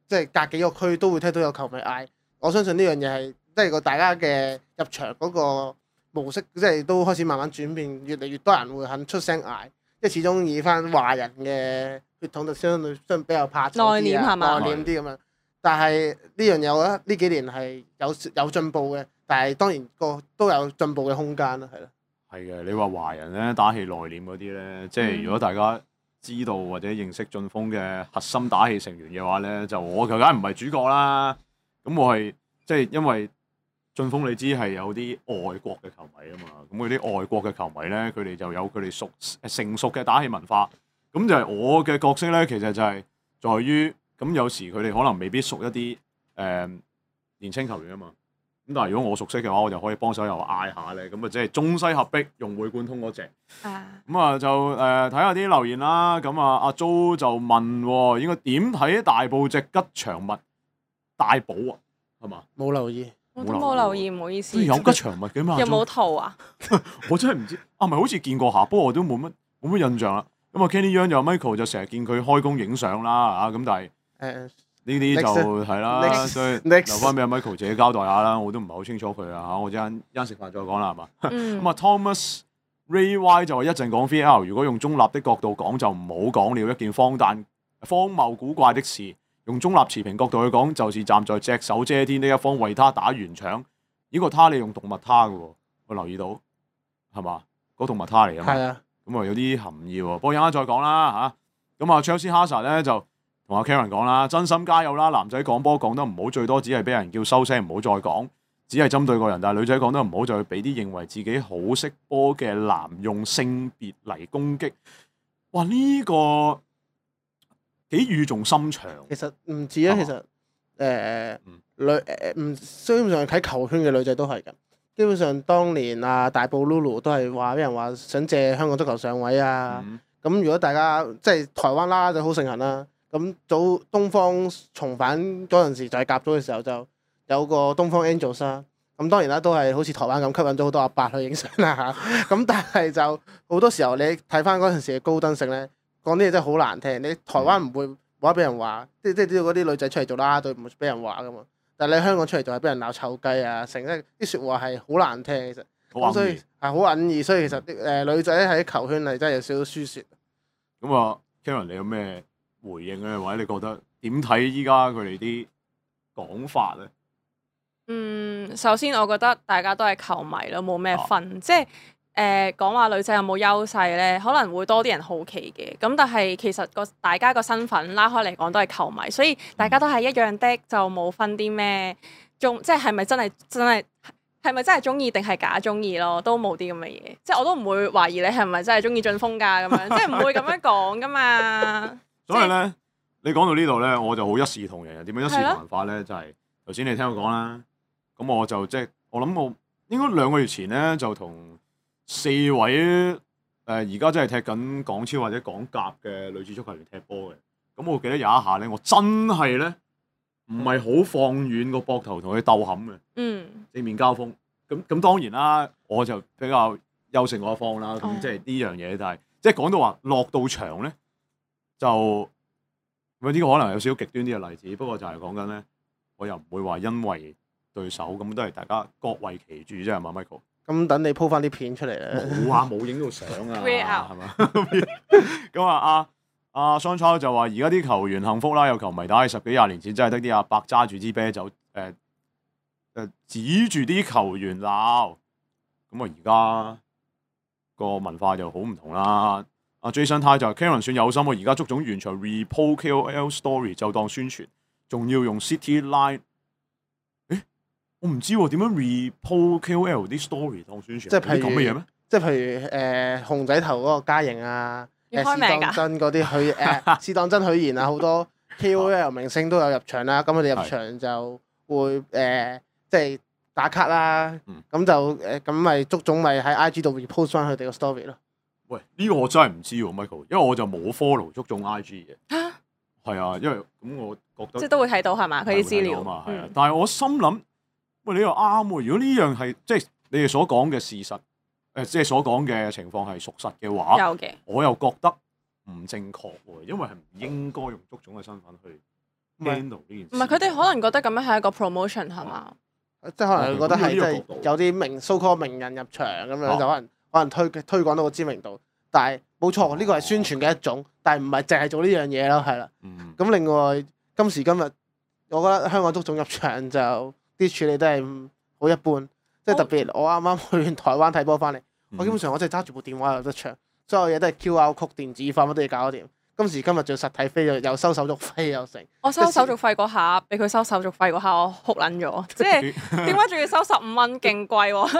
即係隔幾個區都會聽到有球迷嗌。我相信呢樣嘢係即係個大家嘅入場嗰個模式，即係都開始慢慢轉變，越嚟越多人會肯出聲嗌。即係始終以翻華人嘅血統就相對比較怕醜啲內斂係嘛？內斂啲咁樣。但係呢樣嘢我覺得呢幾年係有進步嘅，但係當然都有進步嘅空間啦，係咯。係嘅，你話華人咧打氣內斂嗰啲咧，即係如果大家知道或者認識晉峰嘅核心打氣成員嘅話咧，就我梗唔係主角啦。咁我係即係因為晉峰你知係有啲外國嘅球迷啊嘛，咁嗰啲外國嘅球迷咧，佢哋就有佢哋成熟嘅打氣文化。咁就係我嘅角色咧，其實就係在於咁有時佢哋可能未必熟一啲年青球員啊嘛。咁但係如果我熟悉嘅話，我就可以幫手又嗌下咧，咁啊即係中西合璧，融會貫通嗰隻。咁啊就睇下啲留言啦。咁啊阿 Jo 就問應該點睇大埔隻吉祥物大寶啊？係嘛？冇留意，我都冇留意，唔好意思。有吉祥物嘅嘛？有冇圖啊？我真係唔知啊，咪好似見過下，不過我都冇乜印象啦。咁啊 Kenny Young 又 Michael 就成日見佢開工影相啦，咁但係呢啲就係啦，所以留翻俾阿 Michael 自己交代下啦，我都唔係好清楚佢啊，我陣間食飯再講啦，係嘛？咁啊 Thomas Ray Y 就話一陣講 VAR， 如果用中立的角度講就唔好講了，一件荒謬古怪的事。用中立持平角度去講，就是站在隻手遮天的一方為他打圓場。呢個他你用動物他嘅喎，我留意到係嘛？嗰動物他嚟啊嘛。係啊。咁啊有啲含義喎，不過一陣間再講啦嚇。咁啊 Chelsea Hazard 咧就同阿 Karen 講啦，真心加油啦！男仔講波講得唔好，最多只係俾人叫收聲，唔好再講，只係針對個人。但係女仔講得唔好，就會俾啲認為自己好識波嘅男用性別嚟攻擊。哇！呢個幾語重心長。其實唔止啊，其實基本上喺球圈嘅女仔都係㗎。基本上當年啊，大埔 Lulu 都係話俾人話想借香港足球上位啊。咁如果大家即係台灣啦就好盛行啦。咁早東方重返嗰陣時就係甲組嘅時候就有個東方 Angels 啦。咁當然啦，都係好似台灣咁吸引咗好多阿伯去影相啦嚇。咁但係就好多時候你睇翻嗰陣時嘅高登性咧，講啲嘢真係好難聽。你台灣唔會冇得俾人話，即係知道嗰啲女仔出嚟做啦啦隊唔會俾人話噶嘛。但係你香港出嚟就係俾人鬧臭雞啊，成日啲説話係好難聽其實。咁所以係好隱義，所以其實女仔喺球圈係真係有少少輸蝕。咁啊 Karen 你有咩回應咧？或者你覺得點睇依家佢哋啲講法咧？首先我覺得大家都係球迷咯，冇咩分，即係講話女仔有冇優勢咧，可能會多啲人好奇嘅。咁但係其實大家個身份拉開嚟講都係球迷，所以大家都係一樣的，就冇分啲咩即係咪真係係咪真係中意定係假中意咯？都冇啲咁嘅嘢，即係我都唔會懷疑你係咪真係中意晉峰㗎咁樣，即係唔會咁樣講㗎嘛。所以咧，你講到呢度咧，我就好一視同仁。點樣一視同仁法咧？就係頭先你聽我講啦。咁我就我諗我應該2個月前咧，就同4位而家真係踢緊港超或者港甲嘅女子足球員踢波嘅。咁我記得有一下咧，我真係咧唔係好放軟個膊頭同佢鬥冚嘅。正面交鋒。咁當然啦，我就比較優勝嗰一方啦。咁即係呢樣嘢，但係即係講到話落到場咧。就呢個可能有少少極端啲嘅例子，不過就係講緊咧，我又唔會話因為對手咁都係大家各為其主啫，係嘛 Michael？咁等你 po 翻啲片出嚟啦。冇啊，冇影到相啊， Wear out 係嘛？咁啊，阿 Sean Charles 就話：而家啲球員幸福啦，有球迷打起10幾20年前，真係得啲阿伯揸住支啤酒指住啲球員鬧。咁啊，而家個文化就好唔同啦。阿 Jason Tai 就 Karen 算有心喎，而家足總完全 repo KOL story 就當宣傳，仲要用 City Line。我唔知喎，點樣 repo KOL 啲 story 當宣傳？即係譬如咁嘅嘢咩？即係譬如熊仔頭嗰個嘉瑩啊，試要開名㗎當真嗰啲試當真許賢啊，好多 KOL 明星都有入場啦。咁佢哋入場就會即係打卡啦。咁就咁咪足總咪喺 IG 度 repost 翻佢哋個 story 咯。喂，呢個我真係唔知喎 ，Michael，因為我就冇 follow 足總 IG 嘅。係啊，因為咁我覺得即係都會睇到係嘛？佢啲資料嘛，係啊。但係我心諗，喂，你又啱喎。如果呢樣係即係你哋所講嘅事實，即係所講嘅情況係屬實嘅話，有嘅，我又覺得唔正確喎，因為係唔應該用足總嘅身份去 handle 呢件事。唔係佢哋可能覺得咁樣係一個 promotion 係嘛？即係可能佢覺得係即係有啲so called名人入場咁樣，就可能推廣到個知名度。但係冇錯，呢個係宣傳嘅一種，但係唔係淨係做呢樣嘢咯，係啦。咁另外今時今日，我覺得香港足總入場就啲處理都係好一般，即係特別我啱啱去完台灣睇波翻嚟，我基本上我真係揸住部電話入得場，所有嘢都係 QR code 電子化，乜都要搞掂。今時今日做實體飛又收手續費又成。我收手續費嗰下，俾佢收手續費嗰下，我哭撚咗。即係點解仲要收15蚊，勁貴喎！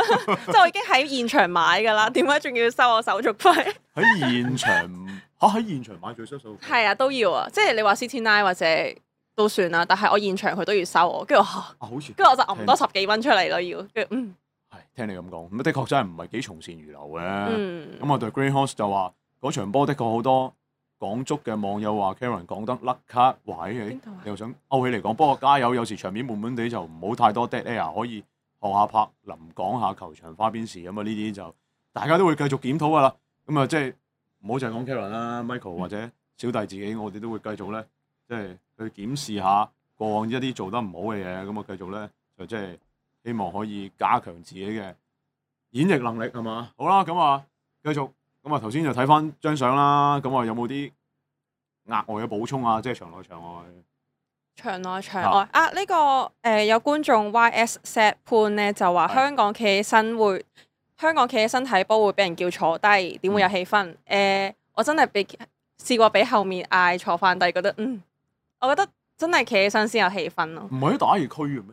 即係我已經喺現場買㗎啦，點解仲要收我手續費？喺現場喺現場買最收手續費？係啊，都要啊！即係你話 CT9 或者都算啦，但係我現場佢都要收我，跟住好似跟住我就揞多10幾蚊出嚟咯，要跟住係聽你咁講，咁的確真係唔係幾從善如流嘅。咁我對 Green Horse 就話嗰場波的確好多。港足嘅網友話 Karen 講得甩卡，喂，你又想勾起嚟講，不過加油，有時場面悶悶地就唔好太多 dead air，可以學下柏林講下球場花邊事咁啊！呢啲就大家都會繼續檢討噶啦。咁啊，即係唔好淨係講 Karen 啦，Michael 或者小弟自己，我哋都會繼續咧，即係去檢視下過往一啲做得唔好嘅嘢，咁啊繼續咧就即係希望可以加強自己嘅演繹能力係嘛？好啦，咁啊繼續。咁啊，頭先就睇翻張相啦，咁啊有冇啲額外嘅補充啊？即係場內場外。場內場外啊！呢個有觀眾 YS Set 判咧就話香港企起身睇波會俾人叫坐低，點會有氣氛？我真係試過俾後面嗌坐翻低，覺得我覺得真係企起身先有氣氛咯。唔係喺打氣區嘅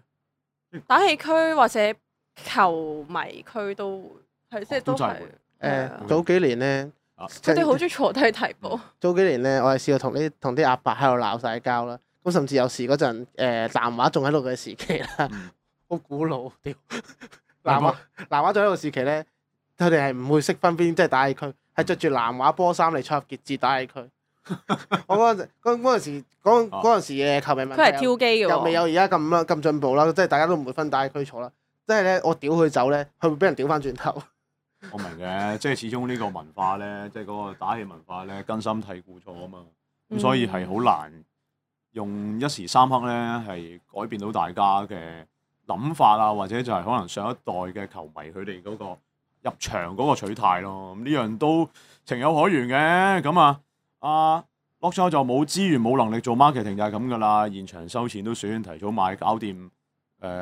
咩？打氣區或者球迷區都係即係都係。早幾年咧，佢哋好中意坐低睇波。早幾年咧，我係試過同啲阿伯喺度鬧晒交啦。咁甚至有時嗰陣南華仲喺度嘅時期啦，好古老屌。南華仲喺度時期咧，佢哋係唔會識分邊，即係打氣區，係着住南華波衫嚟出入傑志打氣區。我嗰陣時嘅球迷問題，佢係挑機嘅，又未有而家咁進步啦，即係大家都唔會分打氣區坐啦。即係咧，我屌佢走咧，佢會俾人屌翻轉頭。我明嘅，即係始終呢個文化咧，即係嗰個打氣文化咧，根深蒂固咗啊嘛，咁所以係好難用一時三刻咧係改變到大家嘅諗法啊，或者就係可能上一代嘅球迷佢哋嗰個入場嗰個取態咯，咁呢樣都情有可原嘅。咁啊，Lock 就冇資源冇能力做 marketing 就係咁噶啦，現場收錢都算，提早買搞掂，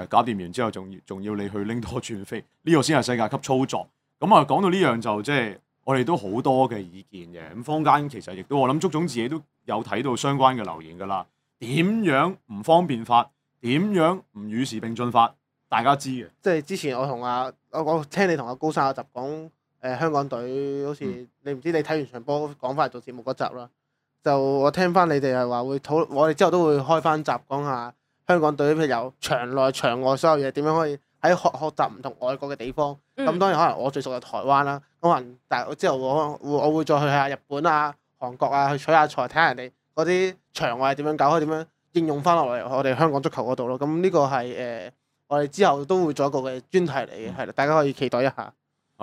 搞掂完之後仲要你去拎多轉飛，呢個先係世界級操作。咁啊，講到呢樣就即係我哋都好多嘅意見嘅。咁坊間其實亦都我諗足總自己都有睇到相關嘅留言㗎啦。點樣唔方便法？點樣唔與時並進法？大家知嘅。即係之前我聽你同阿高生有集講香港隊，好似你唔知你睇完場波講翻嚟做節目嗰集啦。就我聽翻你哋係話會討論，我哋之後都會開翻集講下香港隊，譬如由場內場外所有嘢點樣可以喺學習唔同外國嘅地方。咁當然可能我最熟係台灣啦，可能但係之後我會再去下日本啊、韓國啊，去取下材，睇下人哋嗰啲場外點樣搞，可以點樣應用翻落嚟我哋香港足球嗰度咯。咁呢個係我哋之後都會做一個嘅專題嚟嘅，係啦，大家可以期待一下。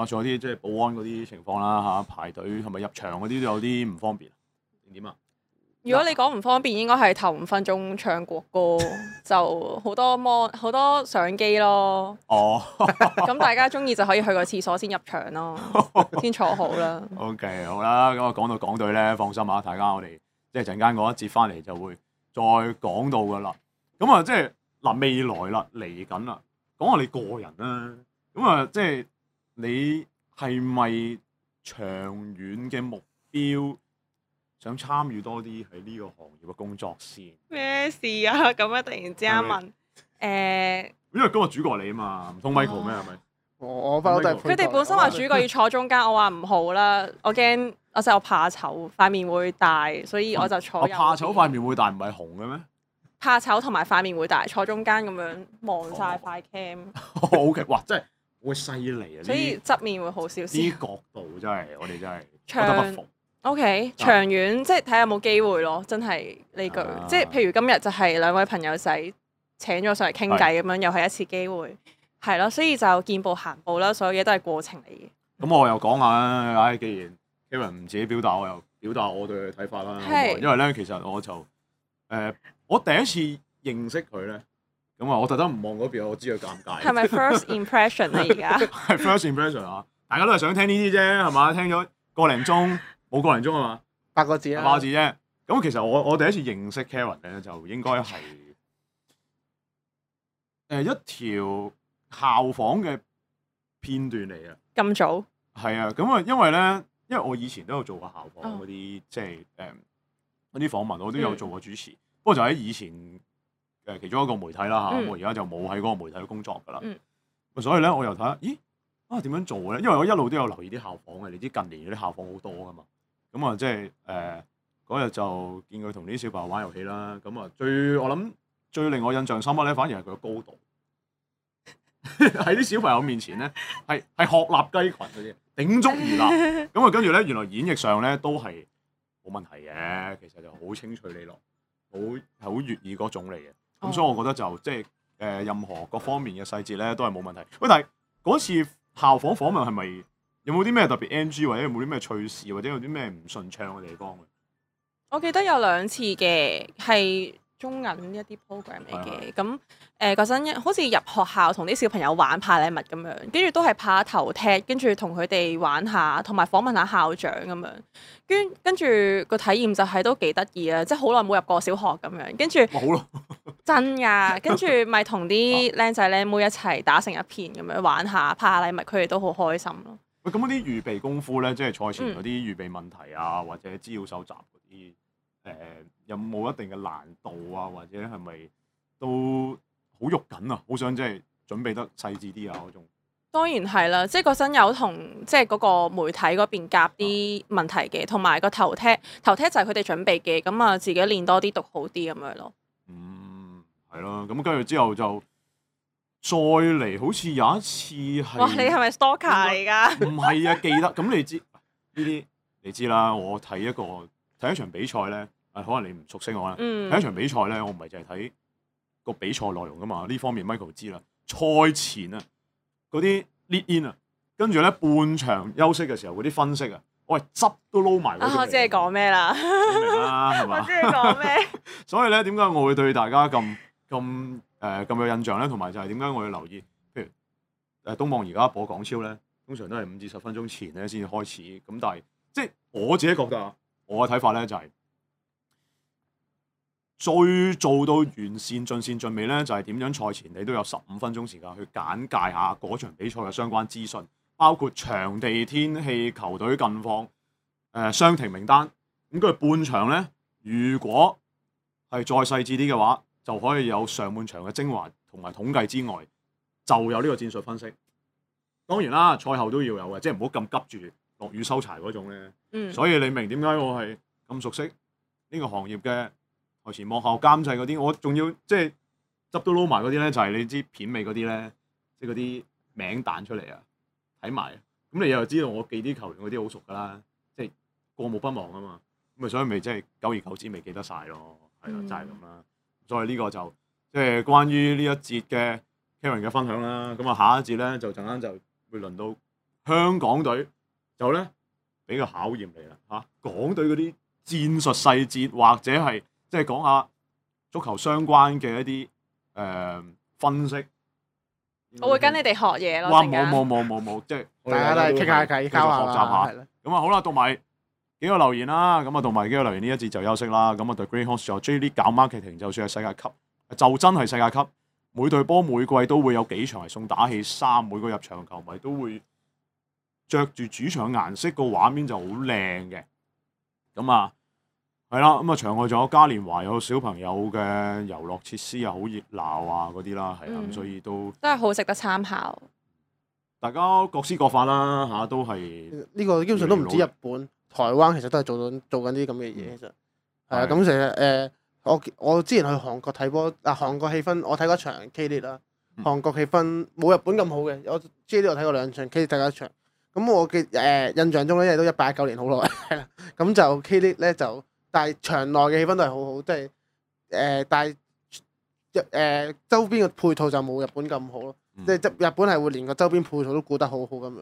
仲有啲即係保安嗰啲情況啦，排隊係咪入場嗰啲都有啲唔方便？點啊？如果你講唔方便，應該係頭5分鐘唱國歌，就好多相機咯。哦，咁大家中意就可以去個廁所先入場咯，先坐好啦。OK， 好啦，咁啊講到港隊咧，放心啊，大家我哋即係陣間嗰一節翻嚟就會再講到噶啦。咁啊，即係嗱未來啦，嚟緊啦，講下你個人啦。咁啊，即係你係咪長遠嘅目標？想參與多啲喺呢個行業嘅工作先。咩事啊？咁啊，突然之間問因為今日主角你啊嘛，唔通 Michael 咩？係咪？我不嬲都係佢哋本身話主角要坐中間，我話唔好啦，我驚我怕醜，塊面會大，所以我就坐。我怕醜塊面會大，唔係紅嘅咩？怕醜同埋塊面會大，坐中間咁樣望晒塊 cam。OK， 哇！真係會犀利啊！所以側面會好少少。啲角度真係，我哋真係不得不服。OK， 長遠即係睇下有冇機會咯，真係呢句，即係譬如今日就係兩位朋友仔請咗上嚟傾偈咁樣，又係一次機會，係咯，所以就見步行步啦，所有嘢都係過程嚟嘅。咁我又講下啦，唉，既然 Karen 唔自己表達，我又表達我對佢嘅睇法啦。因為咧，其實我就我第一次認識佢咧，咁啊，我特登唔望嗰邊，我知佢尷尬。係咪 first impression 啊？而家係 first impression 啊！大家都係想聽呢啲啫，係嘛？聽咗個零鐘。冇個零鐘啊嘛，8個字啊，8個字啫。咁其實我第一次認識 Karen 咧，就應該係一條校訪嘅片段嚟嘅。咁早？係啊，咁啊，因為我以前都有做過校訪嗰啲，即係嗰啲訪問，我都有做過主持。不過就喺以前其中一個媒體啦嚇，我而家就冇喺嗰個媒體工作噶啦。所以咧，我又睇下，咦點樣做咧？因為我一路都有留意啲校訪嘅，你知近年嗰啲校訪好多噶嘛。咁啊，即係嗰日就見佢同啲小朋友玩遊戲啦。咁啊，我諗最令我印象深刻咧，反而係佢嘅高度。喺啲小朋友面前咧，係鶴立雞群嗰啲，鼎足而立。咁啊，跟住咧，原來演繹上咧都係冇問題嘅。其實就好清脆利落，好粵語嗰種嚟嘅。咁所以我覺得就即係任何各方面嘅細節咧都係冇問題。喂，但係嗰次校訪訪問係咪？有冇啲咩特別 NG 或者有冇啲咩趣事或者有啲咩唔順暢嘅地方？我記得有2次嘅，係中銀一啲 program 嚟嘅。咁嗰陣好似入學校同啲小朋友玩派禮物咁樣，跟住都係拍下頭踢，跟住同佢哋玩下，同埋訪問下校長咁樣。跟住個體驗就係都幾得意啊！即係好耐冇入過小學咁樣，跟住真㗎，跟住咪同啲靚仔靚妹一齊打成一片咁樣玩下，派下禮物，佢哋都好開心咯。咁嗰啲預備功夫咧，即係賽前嗰啲預備問題啊，或者資料搜集嗰啲，有冇一定嘅難度啊？或者係咪都好肉緊啊？好想即係準備得細緻啲啊嗰種。當然係啦，即係嗰陣有同即係嗰個媒體嗰邊夾啲問題嘅，同埋個頭踢就係佢哋準備嘅，咁啊自己練多啲讀好啲咁樣咯。係咯，咁跟住之後就。再嚟好似有一次係，哇！你係咪 stalker 嚟㗎？唔係啊，記得咁你知呢啲你知啦。我睇一場比賽咧，可能你唔熟悉我啦。睇一場比賽咧，我唔係淨係睇個比賽內容㗎嘛。呢方面 Michael 知啦。賽前啊，嗰啲 lead in 啊，跟住咧半場休息嘅時候嗰啲分析啊，我係汁都撈埋。我知你講咩啦？明啦，係嘛？我知你講咩？所以咧，點解我會對大家咁有印象咧？同埋就係點解我要留意？譬如東網而家播港超咧，通常都係5至10分鐘前咧先至開始。咁但係即係我自己覺得啊，我嘅睇法咧就係最做到完善盡善盡美咧，就係點樣賽前你都有15分鐘時間去簡介下嗰場比賽嘅相關資訊，包括場地、天氣、球隊近況、傷停名單。咁跟住半場咧，如果係再細緻啲嘅話，就可以有上半場嘅精華同埋統計之外，就有呢個戰術分析。當然啦，賽後都要有嘅，即係唔好咁急住落雨收柴嗰種咧。所以你明點解我係咁熟悉呢個行業嘅台前幕後監製嗰啲，我仲要即係執都撈埋嗰啲咧，就係你知片尾嗰啲咧，即係嗰啲名彈出嚟啊，睇埋。咁你又知道我記啲球員嗰啲好熟㗎啦，即係過目不忘啊嘛。咁啊，所以咪即係久而久之未記得晒咯。係啦，就係咁啦。所以呢個就即係關於呢一節嘅 Karen 嘅分享啦。咁啊，下一節咧就陣間就會輪到香港隊，就咧俾個考驗嚟啦嚇。港隊嗰啲戰術細節或者係即係講下足球相關嘅一啲分析。我會跟你哋學嘢咯。哇！冇，即係大家都係傾下偈，交下學習下。咁啊好啦，讀埋幾個留言啦。咁啊讀埋幾個留言呢一節就休息啦。咁啊對 Green Horse 就 J League 搞 marketing， 就算係世界級，就真係世界級。每隊波每季都會有幾場係送打氣衫，每個入場球迷都會着住主場顏色，個畫面就好靚嘅。咁啊係啦，咁啊場外仲有嘉年華，有小朋友嘅遊樂設施啊，好熱鬧啊嗰啲啦，係啊，咁所以都係好值得參考。大家各施各法啦嚇，都係呢個基本上都唔止日本，台灣其實都係做緊啲咁嘅嘢，其實係啊。咁其實我之前去韓國睇波，韓國氣氛我睇過一場 K League 啦，韓國氣氛冇日本咁好嘅。我 J League 我睇過2場 K League 睇過一場，咁我嘅印象中咧，因為都18、19年好耐係啦，咁就 K League 咧就，但係場內嘅氣氛都係好好，即係但係周邊嘅配套就冇日本咁好咯，即係日本係會連個周邊配套都顧得好好咁樣。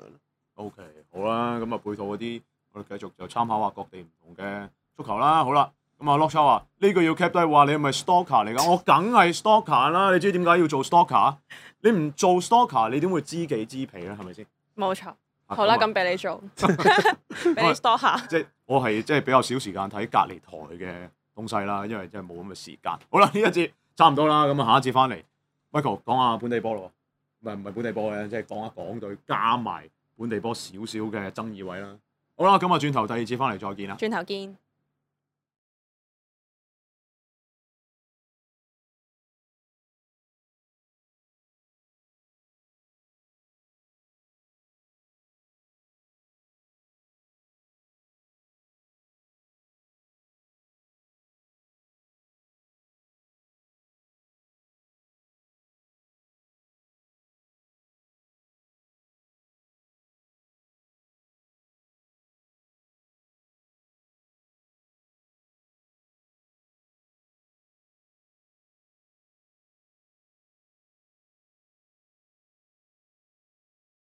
OK， 好啦，咁啊配套嗰啲我哋繼續就參考下各地唔同嘅足球啦。好啦。咁啊 Lock 話呢個要 cap 低，話你係咪 stalker 嚟㗎？我梗係 stalker 啦！你知點解要做 stalker？ 你唔做 stalker， 你點會知己知彼咧？係咪先？冇錯。好啦，咁俾你做，俾你 stalker。即係我係即係比較少時間睇隔離台嘅東西啦，因為真係冇咁嘅時間。好啦，呢一節差唔多啦，咁啊下一節翻嚟 ，Michael 講下本地波咯，唔係本地波嘅，即係講一講對加埋本地波少少嘅爭議位啦。好啦，咁啊轉頭第二節翻嚟再見啦。轉頭見。